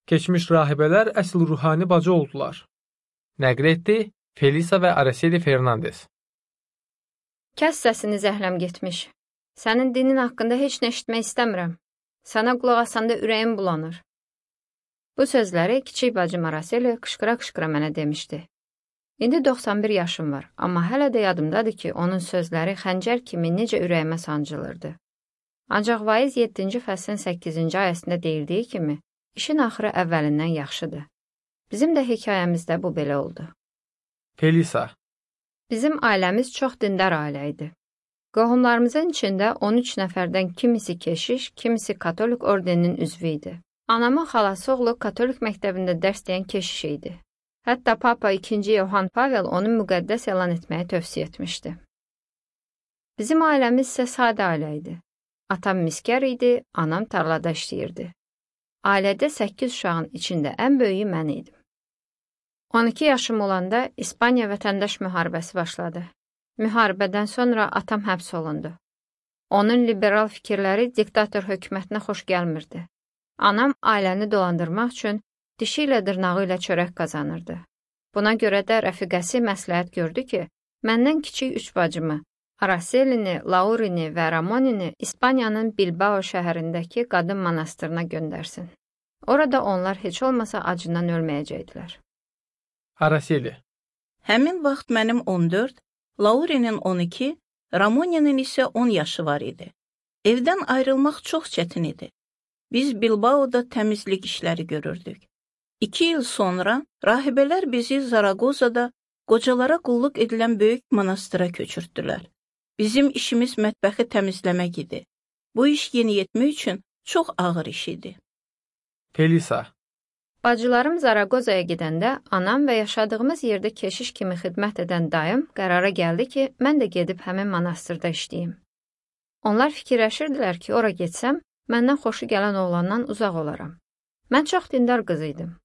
Keçmiş rahibələr əsl ruhani bacı oldular. Nəql etdi Felisa və Araceli Fernandes. Kəs səsini zəhləm getmiş. Sənin dinin haqqında heç nə eşitmək istəmirəm. Sənə qulaq asanda ürəyim bulanır. Bu sözləri kiçik bacım Araceli qışqıra-qışqıra mənə demişdi. İndi 91 yaşım var, amma hələ də yadımdadır ki, onun sözləri xəncər kimi necə ürəyimə sancılırdı. Ancaq Vaiz 7-ci fəslin 8-ci ayəsində deyildiyi kimi, işin axırı əvvəlindən yaxşıdır. Bizim də hekayəmizdə bu belə oldu. Felisa. Bizim ailəmiz çox dindar ailə idi. Qohumlarımızın içində 13 nəfərdən kimisi keşiş, kimisi katolik ordeninin üzvü idi. Anamın xalası oğlu katolik məktəbində dərs deyən keşiş idi. Hətta Papa 2. Yohan Pavel onu müqəddəs elan etməyi tövsiyə etmişdi. Bizim ailəmiz isə sadə ailə idi. Atam miskər idi, anam tarlada işləyirdi. Ailədə 8 uşağın içində ən böyüyü mən idim. 12 yaşım olanda İspaniya vətəndaş müharibəsi başladı. Müharibədən sonra atam həbs olundu. Onun liberal fikirləri diktator hökumətinə xoş gəlmirdi. Anam ailəni dolandırmaq üçün dişi ilə dırnağı ilə çörək qazanırdı. Buna görə də rəfiqəsi məsləhət gördü ki, məndən kiçik 3 bacımı, Aracelini, Laurini və Ramonini İspaniyanın Bilbao şəhərindəki qadın monastırına göndərsin. Orada onlar heç olmasa acından ölməyəcəkdilər. Araceli. Həmin vaxt mənim 14, Laurinin 12, Ramoninin isə 10 yaşı var idi. Evdən ayrılmaq çox çətin idi. Biz Bilbao'da təmizlik işləri görürdük. 2 il sonra rahibələr bizi Zaragozada qocalara qulluq edilən böyük monastıra köçürtdülər. Bizim işimiz mətbəxi təmizləmək idi. Bu iş yeniyetmə üçün çox ağır iş idi. Felisa. Bacılarım Zaragozaya gedəndə anam və yaşadığımız yerdə keşiş kimi xidmət edən dayım qərara gəldi ki, mən də gedib həmin monastırda işləyim. Onlar fikirləşirdilər ki, ora getsəm, məndən xoşu gələn oğlandan uzaq olaram. Mən çox dindar qız idim.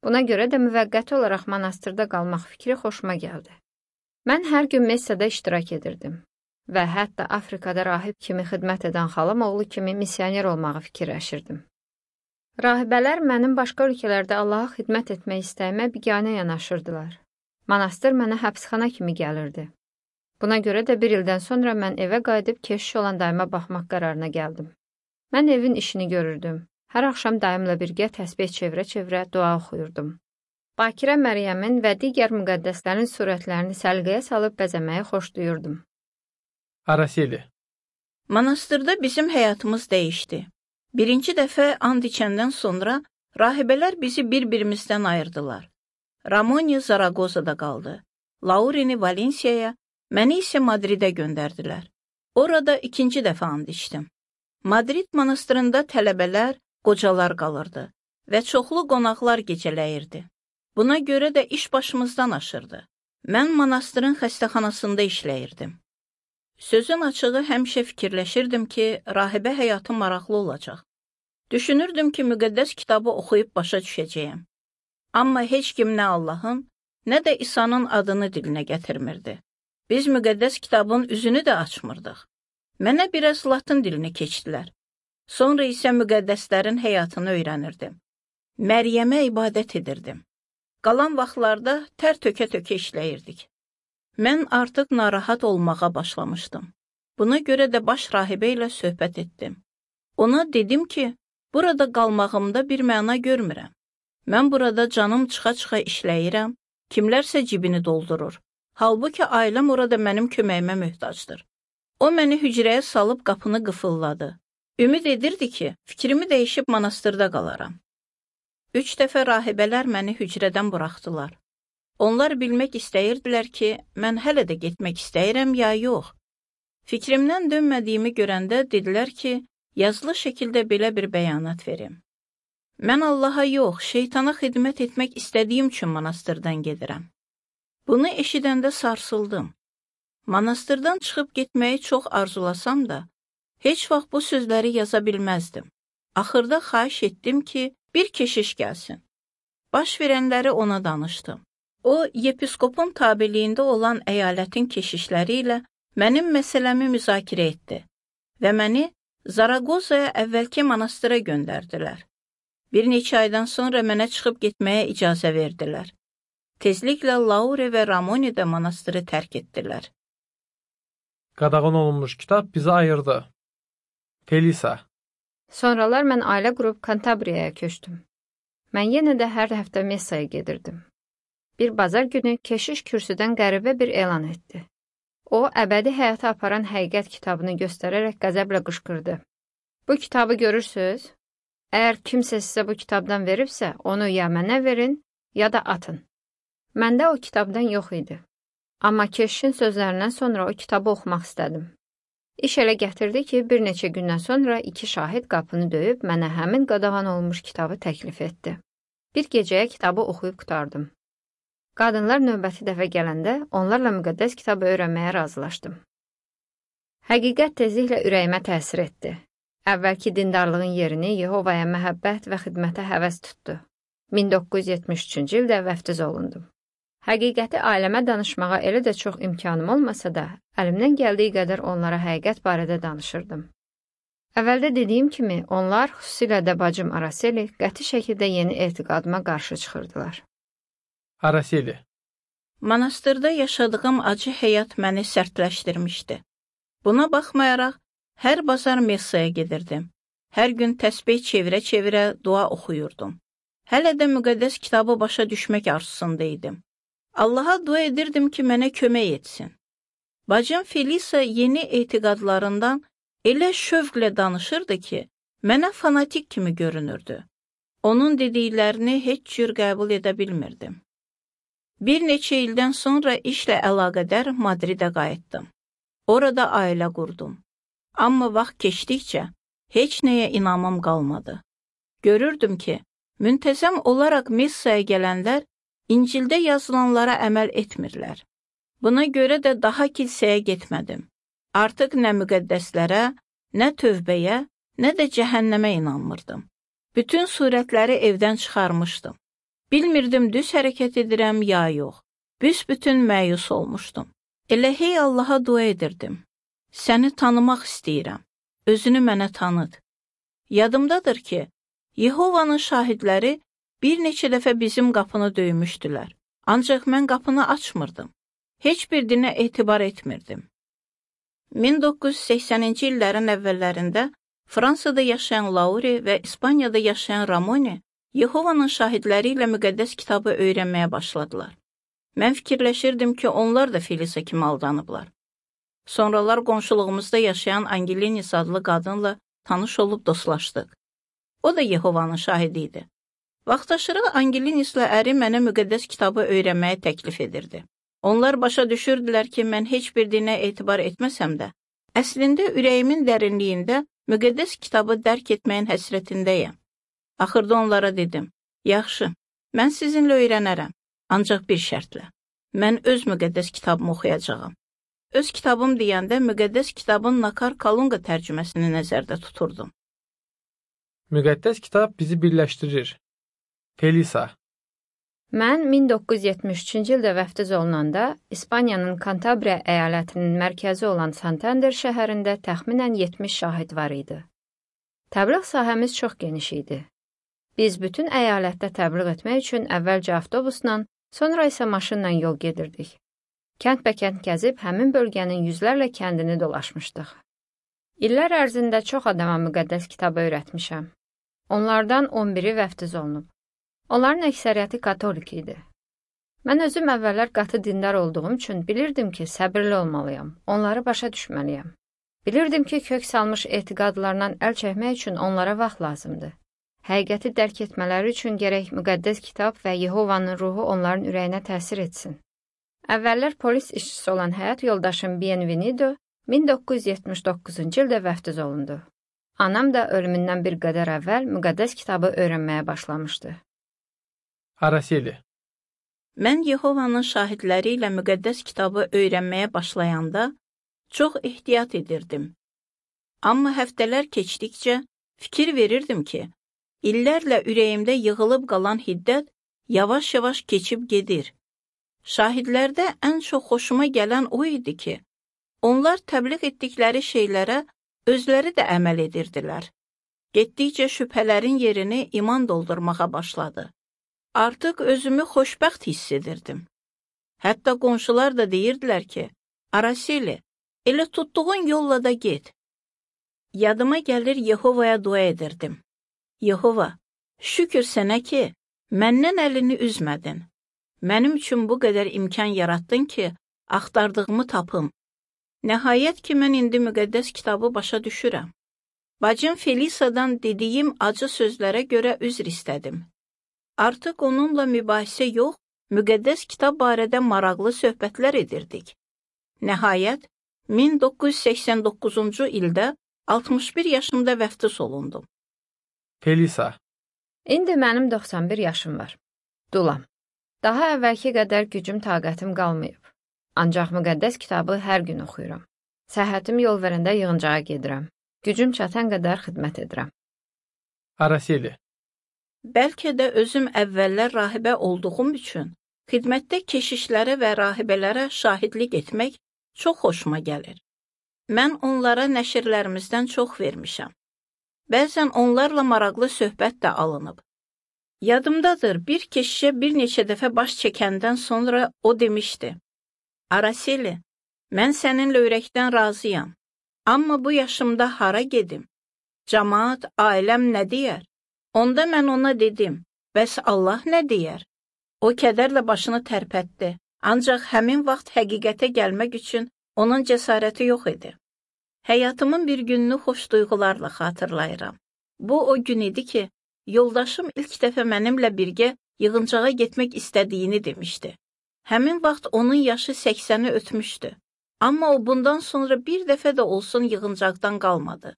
Buna görə də müvəqqəti olaraq monastırda qalmaq fikri xoşuma gəldi. Mən hər gün messada iştirak edirdim və hətta Afrikada rahib kimi xidmət edən xalam oğlu kimi missioner olmağı fikirləşirdim. Rahibələr mənim başqa ölkələrdə Allaha xidmət etmək istəyimə biganə yanaşırdılar. Monastır mənə həbsxana kimi gəlirdi. Buna görə də bir ildən sonra mən evə qayıdıb keşiş olan dayıma baxmaq qərarına gəldim. Mən evin işini görürdüm. Hər axşam dayımla birgə təsbih çevirə-çevirə dua oxuyurdum. Bakirə Məryəmin və digər müqəddəslərin surətlərini səliqəyə salıb bəzəməyi xoşlayırdım. Araceli. Monastırda bizim həyatımız dəyişdi. Birinci dəfə and içəndən sonra rahibələr bizi bir-birimizdən ayırdılar. Ramoni Zaragozada qaldı. Laurini Valensiyaya, məni isə Madridə göndərdilər. Orada ikinci dəfə and içdim. Madrid monastırında tələbələr, qocalar qalırdı və çoxlu qonaqlar gecələyirdi. Buna görə də iş başımızdan aşırdı. Mən monastırın xəstəxanasında işləyirdim. Sözün açığı həmişə fikirləşirdim ki, rahibə həyatı maraqlı olacaq. Düşünürdüm ki, müqəddəs kitabı oxuyub başa düşəcəyəm. Amma heç kim nə Allahın, nə də İsa'nın adını dilinə gətirmirdi. Biz müqəddəs kitabın üzünü də açmırdıq. Mənə biraz latın dilini keçdilər. Sonra isə müqəddəslərin həyatını öyrənirdim. Məryəmə ibadət edirdim. Qalan vaxtlarda tər tökə-tökə işləyirdik. Mən artıq narahat olmağa başlamışdım. Buna görə də baş rahibə ilə söhbət etdim. Ona dedim ki, burada qalmağımda bir məna görmürəm. Mən burada canım çıxa-çıxa işləyirəm, kimlərsə cibini doldurur. Halbuki ailəm orada mənim köməyimə möhtacdır. O məni hücrəyə salıb qapını qıfılladı. Ümid edirdi ki, fikrimi dəyişib monastırda qalaram. 3 dəfə rahibələr məni hücrədən buraxdılar. Onlar bilmək istəyirdilər ki, mən hələ də getmək istəyirəm ya yox. Fikrimdən dönmədiyimi görəndə dedilər ki, yazılı şəkildə belə bir bəyanat verim. Mən Allaha yox, şeytana xidmət etmək istədiyim üçün monastırdan gedirəm. Bunu eşidəndə sarsıldım. Monastırdan çıxıb getməyi çox arzulasam da, heç vaxt bu sözləri yaza bilməzdim. Axırda xahiş etdim ki, bir keşiş gəlsin. Baş verənləri ona danışdım. O, yepiskopun tabeliyində olan əyalətin keşişləri ilə mənim məsələmi müzakirə etdi və məni Zaragozaya əvvəlki monastıra göndərdilər. Bir neçə aydan sonra mənə çıxıb getməyə icazə verdilər. Tezliklə Laure və Ramoni də monastırı tərk etdilər. Qadağan olunmuş kitab bizi ayırdı. Felisa. Sonralar mən ailə qurub Kantabriyaya köçdüm. Mən yenə də hər həftə messaya gedirdim. Bir bazar günü keşiş kürsüdən qəribə bir elan etdi. O, əbədi həyata aparan həqiqət kitabını göstərərək qəzəblə qışqırdı. Bu kitabı görürsünüz? Əgər kimsə sizə bu kitabdan veribsə, onu ya mənə verin, ya da atın. Məndə o kitabdan yox idi. Amma keşişin sözlərindən sonra o kitabı oxumaq istədim. İş elə gətirdi ki, bir neçə gündən sonra 2 şahid qapını döyüb mənə həmin qadağan olmuş kitabı təklif etdi. Bir gecəyə kitabı oxuyub qurtardım. Qadınlar növbəti dəfə gələndə onlarla müqəddəs kitabı öyrənməyə razılaşdım. Həqiqət tezliklə ürəyimə təsir etdi. Əvvəlki dindarlığın yerini Yehovaya məhəbbət və xidmətə həvəs tutdu. 1973-cü ildə vəftiz olundum. Həqiqəti ailəmə danışmağa elə də çox imkanım olmasa da, əlimdən gəldiyi qədər onlara həqiqət barədə danışırdım. Əvvəldə dediyim kimi, onlar, xüsusilə də bacım Araseli, qəti şəkildə yeni etiqadıma qarşı çıxırdılar. Araseli. Monastırda yaşadığım acı həyat məni sərtləşdirmişdi. Buna baxmayaraq, hər bazar messaya gedirdim. Hər gün təsbih çevirə-çevirə dua oxuyurdum. Hələ də müqəddəs kitabı başa düşmək arzusunda idim. Allaha dua edirdim ki, mənə kömək etsin. Bacım Felisa yeni etiqadlarından elə şövqlə danışırdı ki, mənə fanatik kimi görünürdü. Onun dediklərini heç cür qəbul edə bilmirdim. Bir neçə ildən sonra işlə əlaqədar Madridə qayıtdım. Orada ailə qurdum. Amma vaxt keçdikcə heç nəyə inamım qalmadı. Görürdüm ki, müntəzəm olaraq missaya gələnlər İncildə yazılanlara əməl etmirlər. Buna görə də daha kilsəyə getmədim. Artıq nə müqəddəslərə, nə tövbəyə, nə də cəhənnəmə inanmırdım. Bütün surətləri evdən çıxarmışdım. Bilmirdim düz hərəkət edirəm ya yox. Büsbütün məyus olmuşdum. Elə hey Allaha dua edirdim. Səni tanımaq istəyirəm. Özünü mənə tanıt. Yadımdadır ki, Yehovanın şahidləri bir neçə dəfə bizim qapını döymüşdülər. Ancaq mən qapını açmırdım. Heç bir dinə etibar etmirdim. 1980-ci illərin əvvəllərində Fransada yaşayan Laure və İspaniyada yaşayan Ramoni Yehovanın şahidləri ilə müqəddəs kitabı öyrənməyə başladılar. Mən fikirləşirdim ki, onlar da Felisa kimi aldanıblar. Sonralar qonşuluğumuzda yaşayan Angelinis adlı qadınla tanış olub dostlaşdıq. O da Yehovanın şahidi idi. Vaxtaşırı Angelinislə əri mənə müqəddəs kitabı öyrənməyə təklif edirdi. Onlar başa düşürdülər ki, mən heç bir dinə etibar etməsəm də, əslində ürəyimin dərinliyində müqəddəs kitabı dərk etməyin həsrətindəyəm. Axırda onlara dedim, yaxşı, mən sizinlə öyrənərəm, ancaq bir şərtlə. Mən öz müqəddəs kitabımı oxuyacağam. Öz kitabım deyəndə müqəddəs kitabın Nakar Kalunqa tərcüməsini nəzərdə tuturdum. Müqəddəs kitab bizi birləşdirir. Felisa. Mən 1973-cü ildə vəftiz olunanda İspaniyanın Kantabriya əyalətinin mərkəzi olan Santander şəhərində təxminən 70 şahid var idi. Təbliğ sahəmiz çox geniş idi. Biz bütün əyalətdə təbliğ etmək üçün əvvəlcə avtobusla, sonra isə maşınla yol gedirdik. Kənd-bəkənd gəzib həmin bölgənin yüzlərlə kəndini dolaşmışdıq. İllər ərzində çox adama müqəddəs kitabı öyrətmişəm. Onlardan 11-i vəftiz olunub. Onların əksəriyyəti katolik idi. Mən özüm əvvəllər qatı dindar olduğum üçün bilirdim ki, səbirli olmalıyam, onları başa düşməliyəm. Bilirdim ki, kök salmış etiqadlarından əl çəkmək üçün onlara vaxt lazımdır. Həqiqəti dərk etmələri üçün gərək müqəddəs kitab və Yehovanın ruhu onların ürəyinə təsir etsin. Əvvəllər polis işçisi olan həyat yoldaşım Bienvenido 1979-cu ildə vəftiz olundu. Anam da ölümündən bir qədər əvvəl müqəddəs kitabı öyrənməyə başlamışdı. Araseli. Mən Yehovanın şahidləri ilə müqəddəs kitabı öyrənməyə başlayanda çox ehtiyat edirdim. Amma həftələr keçdikcə fikir verirdim ki, illərlə ürəyimdə yığılıb qalan hiddət yavaş-yavaş keçib gedir. Şahidlərdə ən çox xoşuma gələn o idi ki, onlar təbliğ etdikləri şeylərə özləri də əməl edirdilər. Getdikcə şübhələrin yerini iman doldurmağa başladı. Artıq özümü xoşbəxt hiss edirdim. Hətta qonşular da deyirdilər ki, Araseli, elə tutduğun yolla da get. Yadıma gəlir Yehovaya dua edirdim. Yehova, şükür sənə ki, məndən əlini üzmədin. Mənim üçün bu qədər imkan yaratdın ki, axtardığımı tapım. Nəhayət ki, mən indi müqəddəs kitabı başa düşürəm. Bacım Felisa'dan dediyim acı sözlərə görə üzr istədim. Artıq onunla mübahisə yox, müqəddəs kitab barədə maraqlı söhbətlər edirdik. Nəhayət, 1989-cu ildə 61 yaşımda vəftiz olundum. Felisa, İndi mənim 91 yaşım var. Dulam. Daha əvvəlki qədər gücüm, taqətim qalmayıb. Ancaq müqəddəs kitabı hər gün oxuyuram. Səhhətim yol verəndə yığıncağa gedirəm. Gücüm çatan qədər xidmət edirəm. Araseli, Bəlkə də özüm əvvəllər rahibə olduğum üçün xidmətdə keşişlərə və rahibələrə şahidlik etmək çox xoşuma gəlir. Mən onlara nəşrlərimizdən çox vermişəm. Bəzən onlarla maraqlı söhbət də alınıb. Yadımdadır, bir keşişə bir neçə dəfə baş çəkəndən sonra o demişdi, Araseli, mən səninlə ürəkdən razıyam. Amma bu yaşımda hara gedim? Camaat, ailəm nə deyər? Onda mən ona dedim, bəs Allah nə deyər? O kədərlə başını tərpətdi, ancaq həmin vaxt həqiqətə gəlmək üçün onun cəsarəti yox idi. Həyatımın bir gününü xoş duyğularla xatırlayıram. Bu o gün idi ki, yoldaşım ilk dəfə mənimlə birgə yığıncağa getmək istədiyini demişdi. Həmin vaxt onun yaşı 80-i ötmüşdü. Amma o bundan sonra bir dəfə də olsun yığıncaqdan qalmadı.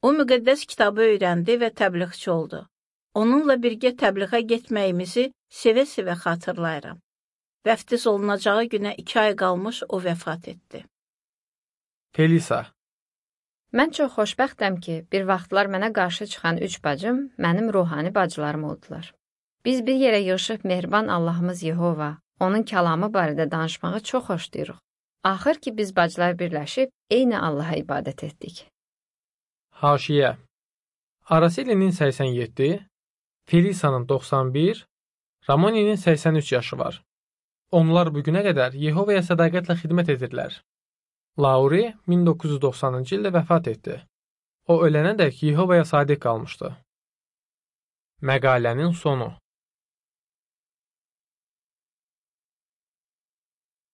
O müqəddəs kitabı öyrəndi və təbliğçi oldu. Onunla birgə təbliğə getməyimizi sevə-sevə xatırlayıram. Vəftiz olunacağı günə 2 ay qalmış o vəfat etdi. Felisa, Mən çox xoşbəxtəm ki, bir vaxtlar mənə qarşı çıxan 3 bacım mənim ruhani bacılarım oldular. Biz bir yerə yığışıb mehriban Allahımız Yehova, onun kəlamı barədə danışmağı çox xoşlayırıq. Axır ki, biz bacılar birləşib eyni Allaha ibadət etdik. Haşiyə, Araselinin 87, Felisa'nın 91, Ramoninin 83 yaşı var. Onlar bugünə qədər Yehovaya sədaqətlə xidmət edirlər. Lauri 1990-cı ildə vəfat etdi. O ölənədək Yehovaya sadiq qalmışdı. Məqalənin sonu.